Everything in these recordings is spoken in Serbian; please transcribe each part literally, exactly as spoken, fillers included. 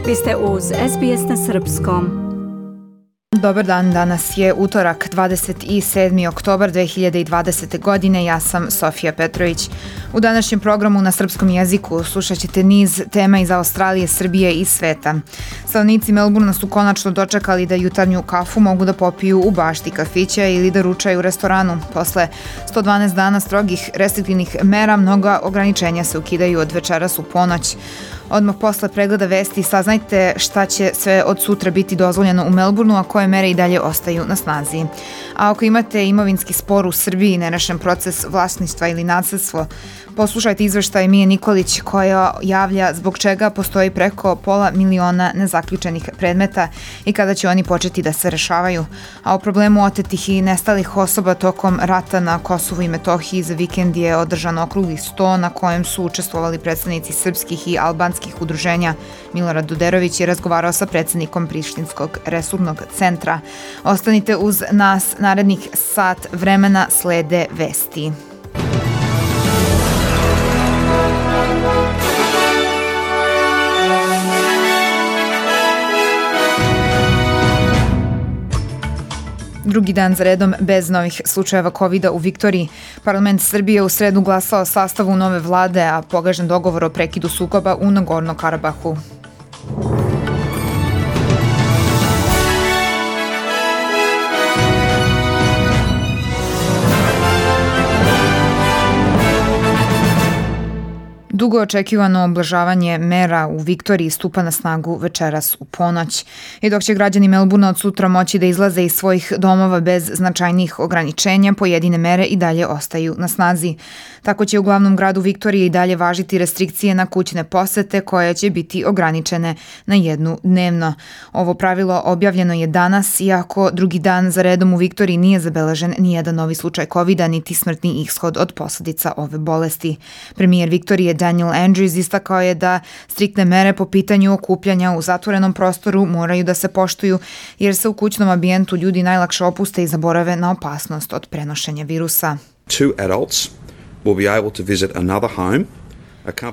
Vi ste uz S B S na srpskom. Dobar dan, danas je utorak, dvadeset sedmi oktobar dve hiljade dvadesete. godine, ja sam Sofija Petrović. U današnjem programu na srpskom jeziku slušat ćete niz tema iz Australije, Srbije i sveta. Stanovnici Melbourna su konačno dočekali da jutarnju kafu mogu da popiju u bašti kafića ili da ručaju u restoranu. Posle sto dvanaest dana strogih restriktivnih mera, mnoga ograničenja se ukidaju od večeras u ponoć. Odmah posle pregleda vesti saznajte šta će sve od sutra biti dozvoljeno u Melbourneu, a koje mere i dalje ostaju na snazi. A ako imate imovinski spor u Srbiji, nerešen proces vlasništva ili nasledstvo, poslušajte izveštaj Mije Nikolić koja javlja zbog čega postoji preko pola miliona nezaključenih predmeta i kada će oni početi da se rešavaju. A o problemu otetih i nestalih osoba tokom rata na Kosovu i Metohiji za vikend je održan okrugli sto na kojem su učestvovali predstavnici srpskih i albanskih udruženja. Milorad Duderović je razgovarao sa predsednikom Prištinskog resurnog centra. Ostanite uz nas, narednih sat vremena slede vesti. Drugi dan za redom bez novih slučajeva kovida u Viktoriji. Parlament Srbije u sredu glasao o sastavu nove vlade, a pogažen dogovor o prekidu sukoba u Nagorno-Karabahu. Dugo očekivano oblažavanje mera u Viktoriji stupa na snagu večeras u ponoć. I dok će građani Melbourna od sutra moći da izlaze iz svojih domova bez značajnih ograničenja, pojedine mere i dalje ostaju na snazi. Tako će u glavnom gradu Viktorije i dalje važiti restrikcije na kućne posete koje će biti ograničene na jednu dnevno. Ovo pravilo objavljeno je danas, iako drugi dan za redom u Viktoriji nije zabeležen nijedan novi slučaj kovida niti smrtni ishod od posledica ove bolesti. Premijer Viktorije Daniel Andrews istakao je da striktne mere po pitanju okupljanja u zatvorenom prostoru moraju da se poštuju jer se u kućnom ambijentu ljudi najlakše opuste i zaborave na opasnost od prenošenja virusa. Two adults will be able to visit another home.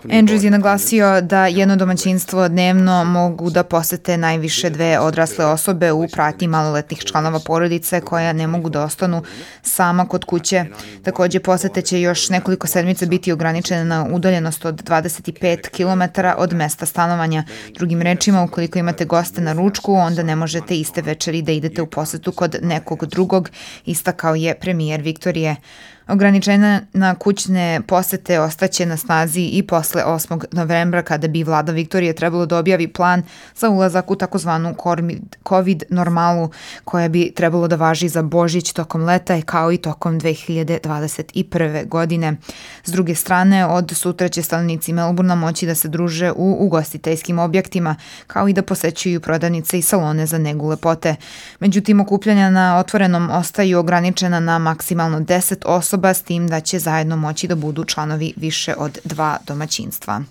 Andrews je naglasio da jedno domaćinstvo dnevno mogu da posete najviše dve odrasle osobe u pratnji maloletnih članova porodice koja ne mogu da ostanu sama kod kuće. Takođe, posete će još nekoliko sedmica biti ograničene na udaljenost od dvadeset pet kilometara od mesta stanovanja. Drugim rečima, ukoliko imate goste na ručku, onda ne možete iste večeri da idete u posetu kod nekog drugog, istakao je premijer Viktorije. Ograničenja na kućne posete ostaće na snazi i posle osmog novembra kada bi vlada Viktorije trebalo da objavi plan za ulazak u takozvanu COVID normalu koja bi trebalo da važi za Božić tokom leta kao i tokom dve hiljade dvadeset prve. godine. S druge strane, od sutra će stanovnici Melbourna moći da se druže u ugostiteljskim objektima kao i da posećuju prodavnice i salone za negu lepote. Međutim, okupljanja na otvorenom ostaju ograničena na maksimalno deset osoba, s tim da će zajedno moći da budu članovi više od dva domaćinstva.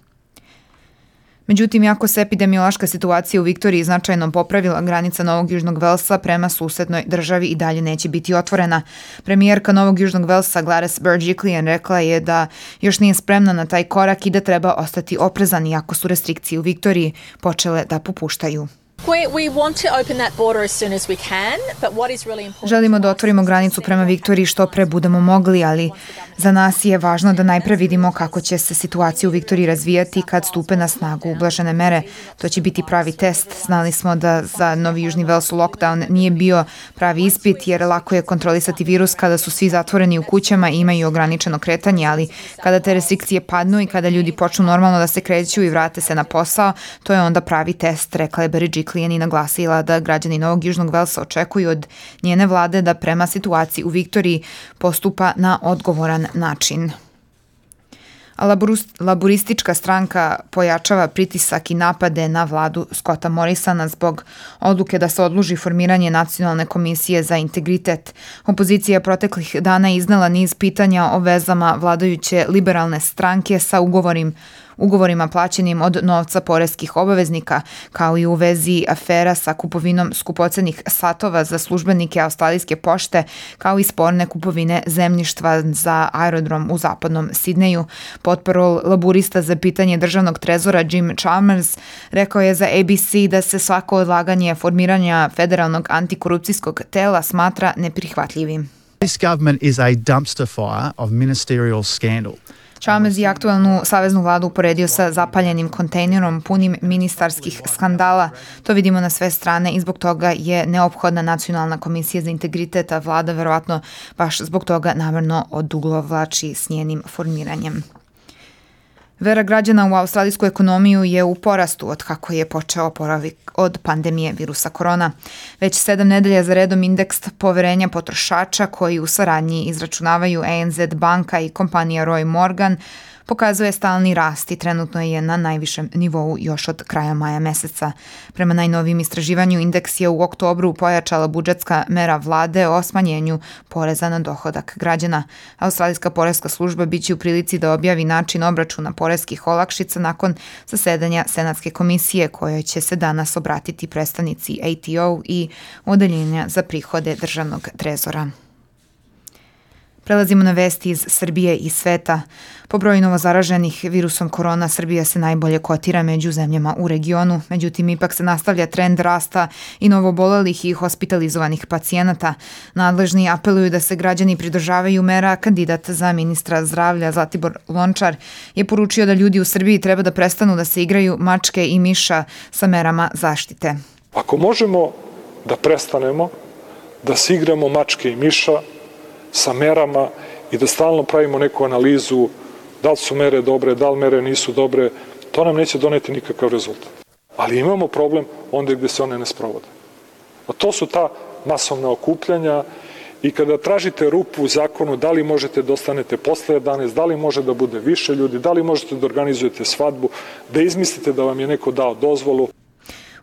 Međutim, iako se epidemiološka situacija u Viktoriji značajno popravila, granica Novog Južnog Velsa prema susednoj državi i dalje neće biti otvorena. Premijerka Novog Južnog Velsa Gladys Berejiklian rekla je da još nije spremna na taj korak i da treba ostati oprezan iako su restrikcije u Viktoriji počele da popuštaju. Želimo da otvorimo granicu prema Viktoriji što pre budemo mogli, ali za nas je važno da najpre vidimo kako će se situacija u Viktoriji razvijati kad stupe na snagu ublažene mere. To će biti pravi test. Znali smo da za Novi Južni Vels lockdown nije bio pravi ispit jer lako je kontrolisati virus kada su svi zatvoreni u kućama i imaju ograničeno kretanje, ali kada te restrikcije padnu i kada ljudi počnu normalno da se kreću i vrate se na posao, to je onda pravi test, rekla je Berejiklian i naglasila da građani Novog Južnog Velsa očekuju od njene vlade da prema situaciji u Viktoriji postupa na odgovoran način. A laburistička stranka pojačava pritisak i napade na vladu Scotta Morrisona zbog odluke da se odloži formiranje Nacionalne komisije za integritet. Opozicija proteklih dana iznela niz pitanja o vezama vladajuće liberalne stranke sa ugovorim ugovorima plaćenim od novca poreskih obaveznika, kao i u vezi afera sa kupovinom skupocenih satova za službenike australijske pošte, kao i sporne kupovine zemljištva za aerodrom u zapadnom Sidneju. Potparol laburista za pitanje državnog trezora Jim Chalmers rekao je za A B C da se svako odlaganje formiranja federalnog antikorupcijskog tela smatra neprihvatljivim. This government is a dumpster fire of ministerial scandal. Chalmers je aktuelnu saveznu vladu uporedio sa zapaljenim kontejnerom punim ministarskih skandala. To vidimo na sve strane i zbog toga je neophodna nacionalna komisija za integritet, a vlada verovatno baš zbog toga namerno odugovlači s njenim formiranjem. Vera građana u australijsku ekonomiju je u porastu od kako je počeo oporavak od pandemije virusa korona. Već sedam nedelja za redom indeks poverenja potrošača koji u saradnji izračunavaju A N Z banka i kompanija Roy Morgan pokazuje stalni rast i trenutno je na najvišem nivou još od kraja maja meseca. Prema najnovijem istraživanju, indeks je u oktobru pojačala budžetska mera vlade o smanjenju poreza na dohodak građana. Australijska poreska služba biće u prilici da objavi način obračuna poreskih olakšica nakon zasedanja Senatske komisije kojoj će se danas obratiti predstavnici A T O i Odeljenja za prihode državnog trezora. Prelazimo na vesti iz Srbije i sveta. Po broju novozaraženih virusom korona, Srbija se najbolje kotira među zemljama u regionu. Međutim, ipak se nastavlja trend rasta i novobolelih i hospitalizovanih pacijenata. Nadležni apeluju da se građani pridržavaju mera. Kandidat za ministra zdravlja Zlatibor Lončar je poručio da ljudi u Srbiji treba da prestanu da se igraju mačke i miša sa merama zaštite. Ako možemo da prestanemo da se igramo mačke i miša sa merama i da stalno pravimo neku analizu da li su mere dobre, da li mere nisu dobre, to nam neće doneti nikakav rezultat. Ali imamo problem onda gde se one ne sprovode. A to su ta masovna okupljanja i kada tražite rupu u zakonu, da li možete da ostanete posle jedanaest, da li može da bude više ljudi, da li možete da organizujete svadbu, da izmislite da vam je neko dao dozvolu.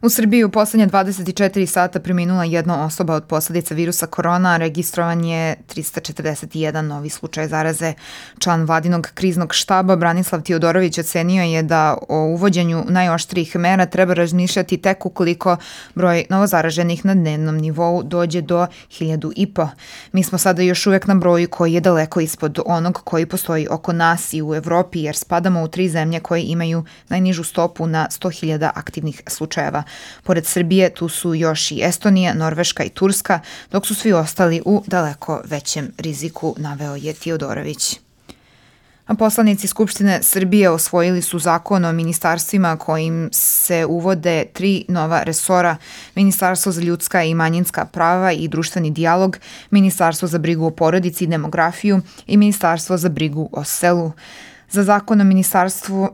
U Srbiji u poslednje dvadeset četiri sata preminula jedna osoba od posledica virusa korona, a registrovan je trista četrdeset jedan novi slučaj zaraze. Član vladinog kriznog štaba Branislav Tiodorović ocenio je da o uvođenju najoštrijih mera treba razmišljati tek ukoliko broj novozaraženih na dnevnom nivou dođe do hiljadu i po. Mi smo sada još uvek na broju koji je daleko ispod onog koji postoji oko nas i u Evropi, jer spadamo u tri zemlje koje imaju najnižu stopu na sto hiljada aktivnih slučajeva. Pored Srbije tu su još i Estonija, Norveška i Turska, dok su svi ostali u daleko većem riziku, naveo je Tiodorović. A poslanici Skupštine Srbije osvojili su zakon o ministarstvima kojim se uvode tri nova resora: Ministarstvo za ljudska i manjinska prava i društveni dijalog, Ministarstvo za brigu o porodici i demografiju i Ministarstvo za brigu o selu. Za zakon o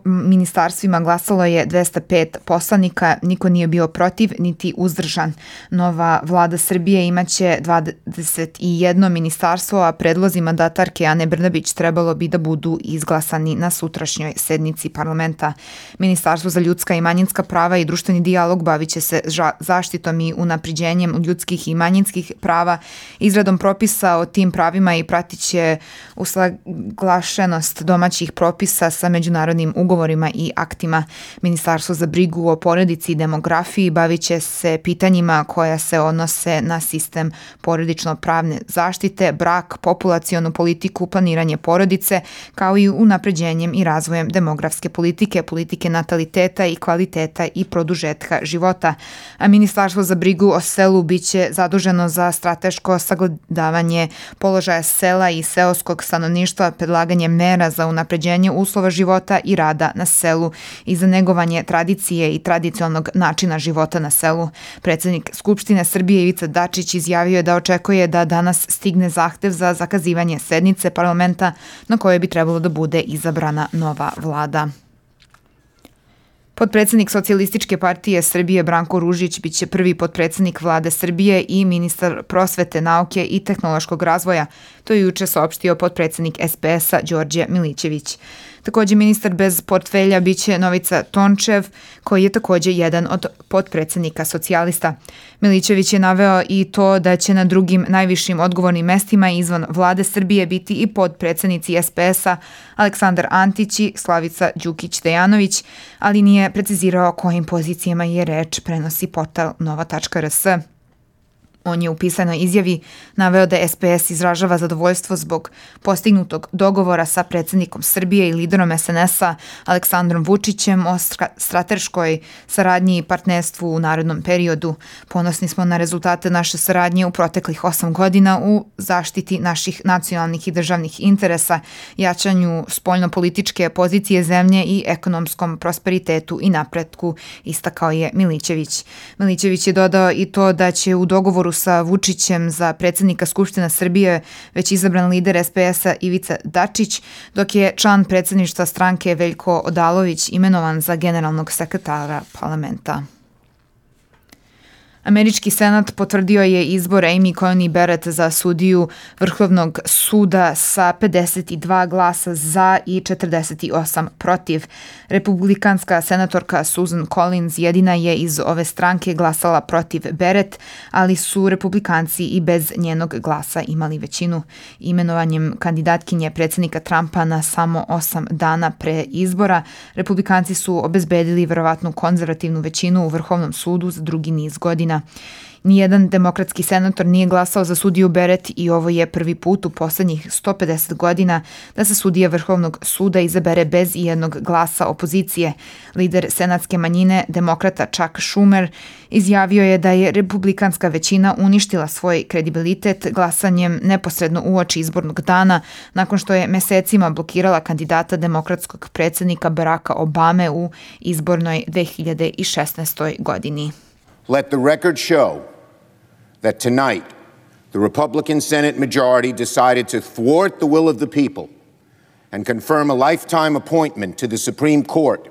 ministarstvima glasalo je dvesta pet poslanika, niko nije bio protiv niti uzdržan. Nova vlada Srbije imaće dvadeset jedno ministarstvo, a predlozi mandatarke Ane Brnabić trebalo bi da budu izglasani na sutrašnjoj sednici parlamenta. Ministarstvo za ljudska i manjinska prava i društveni dijalog bavit će se zaštitom i unapređenjem ljudskih i manjinskih prava, izradom propisa o tim pravima i pratit će usaglašenost domaćih propisa propisa sa međunarodnim ugovorima i aktima. Ministarstvo za brigu o porodici i demografiji bavit će se pitanjima koja se odnose na sistem porodično-pravne zaštite, brak, populacionu politiku, planiranje porodice, kao i unapređenjem i razvojem demografske politike, politike nataliteta i kvaliteta i produžetka života. A Ministarstvo za brigu o selu biće zaduženo za strateško sagledavanje položaja sela i seoskog stanovništva, predlaganje mera za unapređenje uslova života i rada na selu i za negovanje tradicije i tradicionalnog načina života na selu. Predsednik Skupštine Srbije Ivica Dačić izjavio je da očekuje da danas stigne zahtev za zakazivanje sednice parlamenta na kojoj bi trebalo da bude izabrana nova vlada. Potpredsednik Socijalističke partije Srbije Branko Ružić biće prvi potpredsednik vlade Srbije i ministar prosvete, nauke i tehnološkog razvoja. To je juče saopštio potpredsednik S P S-a Đorđe Milićević. Također ministar bez portfelja biće Novica Tončev, koji je također jedan od potpredsednika socijalista. Milićević je naveo i to da će na drugim najvišim odgovornim mestima izvan vlade Srbije biti i potpredsednici S P S-a Aleksandar Antić i Slavica Đukić-Dejanović, ali nije precizirao kojim pozicijama je reč, prenosi portal nova tačka r s. On je u pisanoj izjavi naveo da S P S izražava zadovoljstvo zbog postignutog dogovora sa predsjednikom Srbije i liderom S N S-a Aleksandrom Vučićem o strateškoj saradnji i partnerstvu u narednom periodu. Ponosni smo na rezultate naše saradnje u proteklih osam godina u zaštiti naših nacionalnih i državnih interesa, jačanju spoljnopolitičke pozicije zemlje i ekonomskom prosperitetu i napretku, istakao je Milićević. Milićević je dodao i to da će u dogovoru sa Vučićem za predsjednika Skupština Srbije već izabran lider S P S-a Ivica Dačić, dok je član predsjedništva stranke Veljko Odalović imenovan za generalnog sekretara parlamenta. Američki senat potvrdio je izbor Amy Coney Barrett za sudiju Vrhovnog suda sa pedeset dva glasa za i četrdeset osam protiv. Republikanska senatorka Susan Collins jedina je iz ove stranke glasala protiv Barrett, ali su republikanci i bez njenog glasa imali većinu. Imenovanjem kandidatkinje predsjednika Trumpa na samo osam dana pre izbora, republikanci su obezbedili verovatnu konzervativnu većinu u Vrhovnom sudu za drugi niz godina. Nijedan demokratski senator nije glasao za sudiju Barrett i ovo je prvi put u poslednjih sto pedeset godina da se sudija Vrhovnog suda izabere bez ijednog glasa opozicije. Lider senatske manjine, demokrata Chuck Schumer, izjavio je da je republikanska većina uništila svoj kredibilitet glasanjem neposredno uoči izbornog dana, nakon što je mesecima blokirala kandidata demokratskog predsjednika Baracka Obame u izbornoj dve hiljade šesnaestoj. godini. Let the record show that tonight the Republican Senate majority decided to thwart the will of the people and confirm a lifetime appointment to the Supreme Court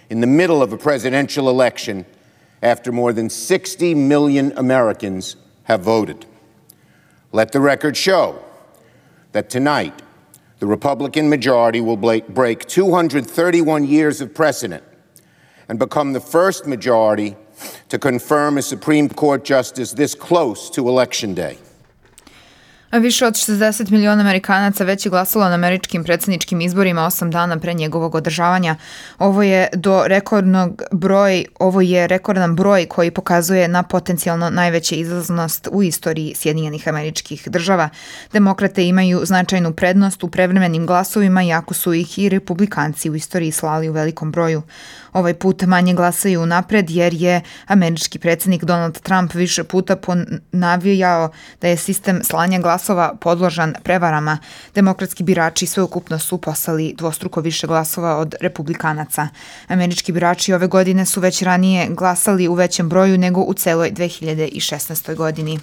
in the middle of a presidential election after more than sixty million Americans have voted. Let the record show that tonight the Republican majority will break two hundred thirty-one years of precedent and become the first majority to confirm a Supreme Court justice this close to Election Day. Više od šezdeset miliona Amerikanaca već je glasalo na američkim predsjedničkim izborima osam dana pre njegovog održavanja. Ovo je do rekordnog broj, ovo je rekordan broj koji pokazuje na potencijalno najveće izlaznost u istoriji Sjedinjenih Američkih Država. Demokrate imaju značajnu prednost u prevremenim glasovima, iako su ih i republikanci u istoriji slali u velikom broju. Ovaj put manje glasaju napred jer je američki predsjednik Donald Trump više puta ponavljao da je sistem slanja glasova podložan prevarama. Demokratski birači sveukupno su poslali dvostruko više glasova od republikanaca. Američki birači ove godine su već ranije glasali u većem broju nego u celoj dve hiljade šesnaestoj. godini.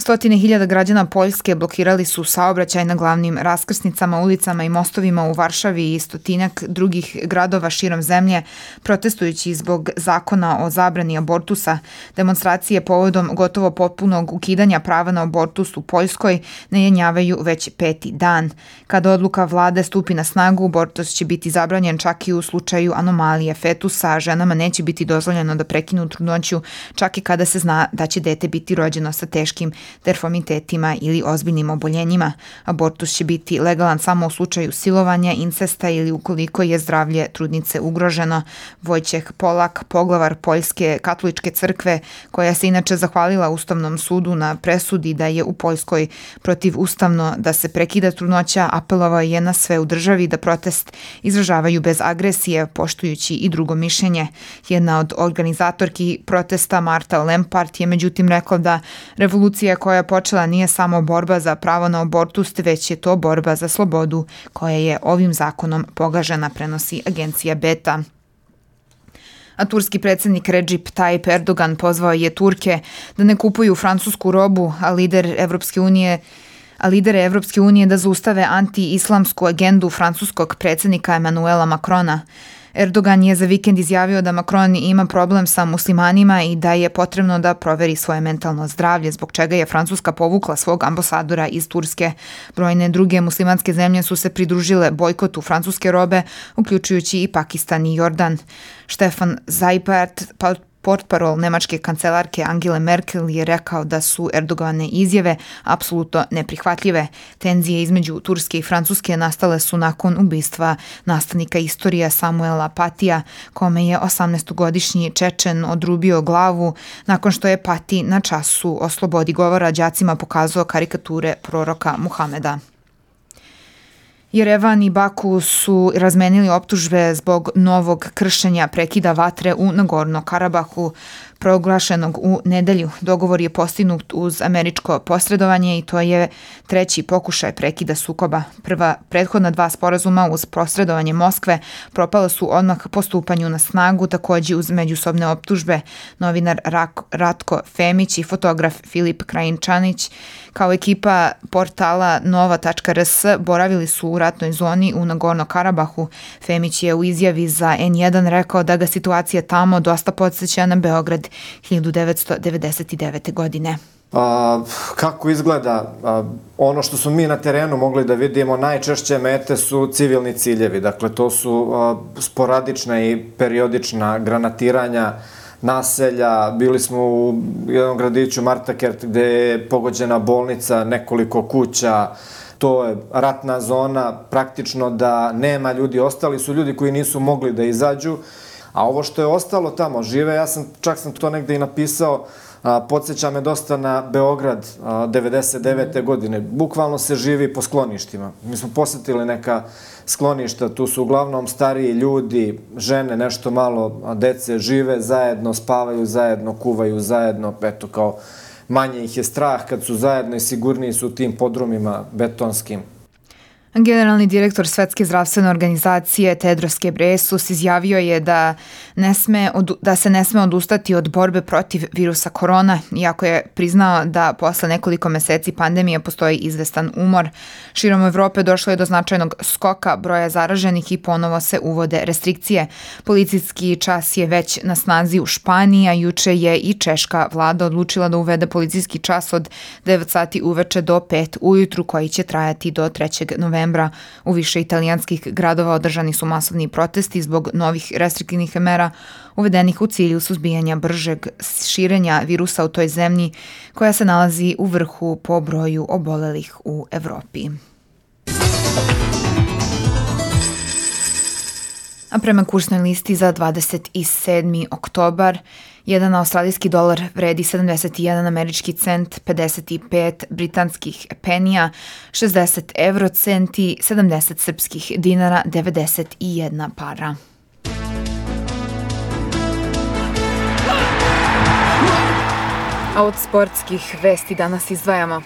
Stotine hiljada građana Poljske blokirali su saobraćaj na glavnim raskrsnicama, ulicama i mostovima u Varšavi i stotinak drugih gradova širom zemlje, protestujući zbog zakona o zabrani abortusa. Demonstracije povodom gotovo potpunog ukidanja prava na abortus u Poljskoj ne jenjavaju već peti dan. Kada odluka vlade stupi na snagu, abortus će biti zabranjen čak i u slučaju anomalije fetusa, a ženama neće biti dozvoljeno da prekinu trudnoću, čak i kada se zna da će dete biti rođeno sa teškim deformitetima ili ozbiljnim oboljenjima. Abortus će biti legalan samo u slučaju silovanja, incesta ili ukoliko je zdravlje trudnice ugroženo. Vojčeh Polak, poglavar Poljske katoličke crkve, koja se inače zahvalila Ustavnom sudu na presudi da je u Poljskoj protivustavno da se prekida trudnoća, apelovao je na sve u državi da protest izražavaju bez agresije, poštujući i drugo mišljenje. Jedna od organizatorki protesta, Marta Lempart, je međutim rekla da revolucija koja je počela nije samo borba za pravo na abortus, već je to borba za slobodu koja je ovim zakonom pogažena, prenosi agencija Beta. A turski predsjednik Recep Tayyip Erdogan pozvao je Turke da ne kupuju francusku robu, a lider Evropske unije a lidere Evropske unije da zaustave anti-islamsku agendu francuskog predsjednika Emanuela Macrona. Erdogan je za vikend izjavio da Macron ima problem sa muslimanima i da je potrebno da proveri svoje mentalno zdravlje, zbog čega je Francuska povukla svog ambasadora iz Turske. Brojne druge muslimanske zemlje su se pridružile bojkotu francuske robe, uključujući i Pakistan i Jordan. Stefan Seibert, portparol nemačke kancelarke Angele Merkel, je rekao da su Erdogane izjave apsolutno neprihvatljive. Tenzije između Turske i Francuske nastale su nakon ubistva nastavnika istorije Samuela Patija, kome je osamnaestogodišnji Čečen odrubio glavu nakon što je Pati na času o slobodi govora đacima pokazao karikature proroka Muhameda. Jerevan i Baku su razmenili optužbe zbog novog kršenja prekida vatre u Nagorno-Karabahu, proglašenog u nedelju. Dogovor je postignut uz američko posredovanje i to je treći pokušaj prekida sukoba. Prva prethodna dva sporazuma uz posredovanje Moskve propala su odmah po stupanju na snagu, takođe uz međusobne optužbe. Novinar Ratko Femić i fotograf Filip Krajinčanić kao ekipa portala nova tačka r s boravili su u ratnoj zoni u Nagorno-Karabahu. Femić je u izjavi za en jedan rekao da ga situacija tamo dosta podsjeća na Beograd hiljadu devetsto devedeset devete. godine. A, kako izgleda? A, ono što su mi na terenu mogli da vidimo, najčešće mete su civilni ciljevi. Dakle, to su a, sporadična i periodična granatiranja naselja. Bili smo u jednom gradiću Martakert gde je pogođena bolnica, nekoliko kuća. To je ratna zona, praktično da nema ljudi. Ostali su ljudi koji nisu mogli da izađu. A ovo što je ostalo tamo, žive, ja sam, čak sam to negde i napisao, a, podsjeća me dosta na Beograd a, devedeset devete. godine. Bukvalno se živi po skloništima. Mi smo posjetili neka skloništa, tu su uglavnom stariji ljudi, žene, nešto malo dece, žive zajedno, spavaju zajedno, kuvaju zajedno, eto kao manje ih je strah kad su zajedno i sigurniji su u tim podrumima betonskim. Generalni direktor Svetske zdravstvene organizacije Tedros Ghebreyesus izjavio je da, ne sme, da se ne sme odustati od borbe protiv virusa korona, iako je priznao da posle nekoliko meseci pandemije postoji izvestan umor. Širom Evrope došlo je do značajnog skoka broja zaraženih i ponovo se uvode restrikcije. Policijski čas je već na snazi u Španiji, a juče je i češka vlada odlučila da uvede policijski čas od devet sati uveče do pet ujutru, koji će trajati do trećeg novembra. U više italijanskih gradova održani su masovni protesti zbog novih restriktivnih mera uvedenih u cilju suzbijanja bržeg širenja virusa u toj zemlji koja se nalazi u vrhu po broju obolelih u Evropi. A prema kursnoj listi za dvadeset sedmi oktobar, jedan australijski dolar vredi sedamdeset jedan američki cent, pedeset pet britanskih penija, šezdeset evro centi, sedamdeset srpskih dinara, devedeset jedna para. A od sportskih vesti danas izdvajamo.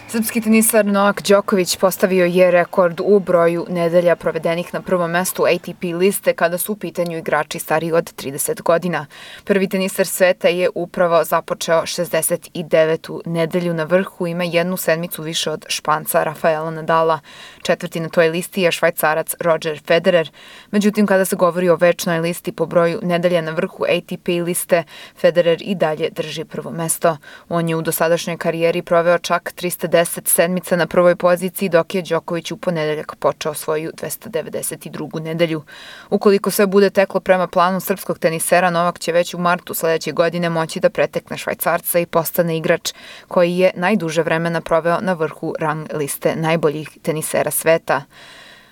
Srpski tenisar Novak Đoković postavio je rekord u broju nedelja provedenih na prvom mestu A T P liste kada su u pitanju igrači stariji od trideset godina. Prvi tenisar sveta je upravo započeo šezdeset devetu nedelju na vrhu, ima jednu sedmicu više od Španca Rafaela Nadala. Četvrti na toj listi je Švajcarac Roger Federer. Međutim, kada se govori o večnoj listi po broju nedelja na vrhu A T P liste, Federer i dalje drži prvo mesto. On je u dosadašnjoj karijeri proveo čak trista deset sedmica na prvoj poziciji, dok je Đoković u ponedeljak počeo svoju dvesta devedeset drugu nedelju. Ukoliko sve bude teklo prema planu srpskog tenisera, Novak će već u martu sledeće godine moći da pretekne Švajcarca i postane igrač koji je najduže vremena proveo na vrhu rang liste najboljih tenisera sveta.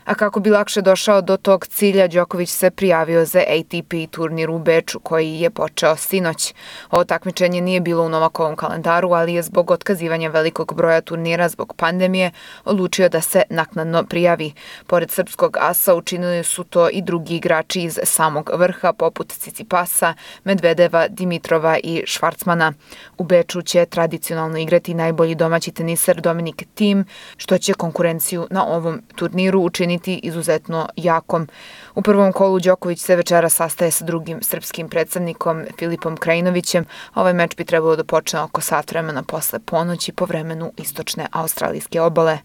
A kako bi lakše došao do tog cilja, Đoković se prijavio za A T P turnir u Beču koji je počeo sinoć. Ovo takmičenje nije bilo u Novakovom kalendaru, ali je zbog otkazivanja velikog broja turnira zbog pandemije odlučio da se naknadno prijavi. Pored srpskog asa učinili su to i drugi igrači iz samog vrha poput Cicipasa, Medvedeva, Dimitrova i Švarcmana. U Beču će tradicionalno igrati najbolji domaći tenisar Dominik Thiem, što će konkurenciju na ovom turniru učiniti izuzetno jakom. U prvom kolu Đoković se večera sastaje sa drugim srpskim predstavnikom Filipom Krajinovićem. Ovaj meč bi trebalo da počne oko sat vremena posle ponoći po vremenu istočne australijske obale.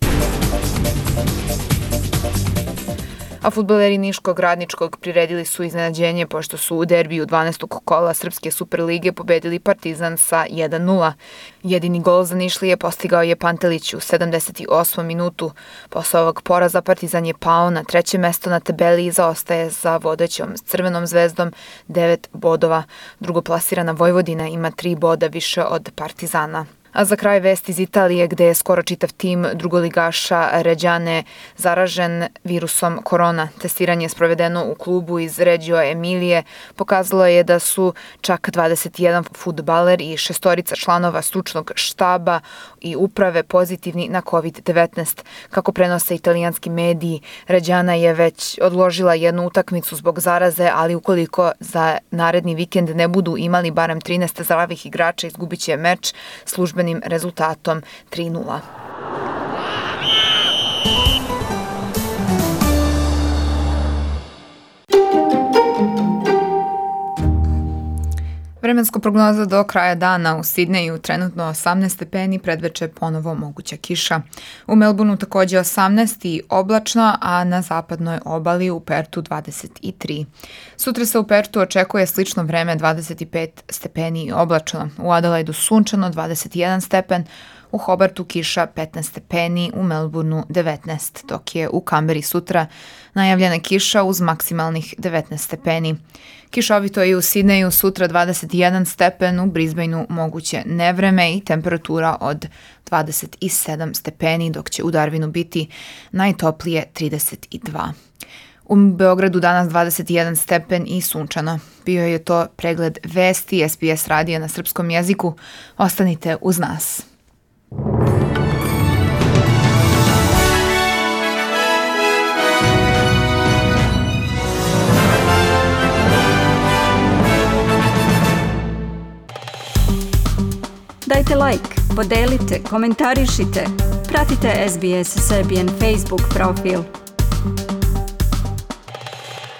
a fudbaleri Niškog Radničkog priredili su iznenađenje pošto su u derbiju dvanaestog kola Srpske Superlige pobedili Partizan sa jedan nula. Jedini gol za Nišlije postigao je Pantelić u sedamdeset osmom minutu. Posle ovog poraza Partizan je pao na treće mesto na tabeli i zaostaje za vodećom Crvenom zvezdom devet bodova. Drugoplasirana Vojvodina ima tri boda više od Partizana. A za kraj vest iz Italije gde je skoro čitav tim drugoligaša Ređane zaražen virusom korona. Testiranje sprovedeno u klubu iz Reggio Emilije pokazalo je da su čak dvadeset jedan fudbaler i šestorica članova stručnog štaba i uprave pozitivni na kovid devetnaest. Kako prenose italijanski mediji, Ređana je već odložila jednu utakmicu zbog zaraze, ali ukoliko za naredni vikend ne budu imali barem trinaest zdravih igrača, izgubit će meč službeni rezultatom tri nula. Vremenska prognoza do kraja dana: u Sidneju trenutno osamnaest stepeni, predveče ponovo moguća kiša. U Melbourneu takođe osamnaest i oblačno, a na zapadnoj obali u Pertu dvadeset tri. Sutra se u Pertu očekuje slično vreme, dvadeset pet stepeni i oblačno. U Adelaidu sunčano, dvadeset jedan stepen, u Hobartu kiša petnaest stepeni, u Melbourneu devetnaest, dok je u Kamberi sutra najavljena kiša uz maksimalnih devetnaest stepeni. Kišovito je i u Sidneju sutra dvadeset jedan stepen, u Brisbaneu moguće nevreme i temperatura od dvadeset sedam stepeni, dok će u Darwinu biti najtoplije trideset dva. U Beogradu danas dvadeset jedan stepen i sunčano. Bio je to pregled vesti S B S radija na srpskom jeziku. Ostanite uz nas. Dajte like, podelite, komentarišite. Pratite S B S Serbian Facebook profil.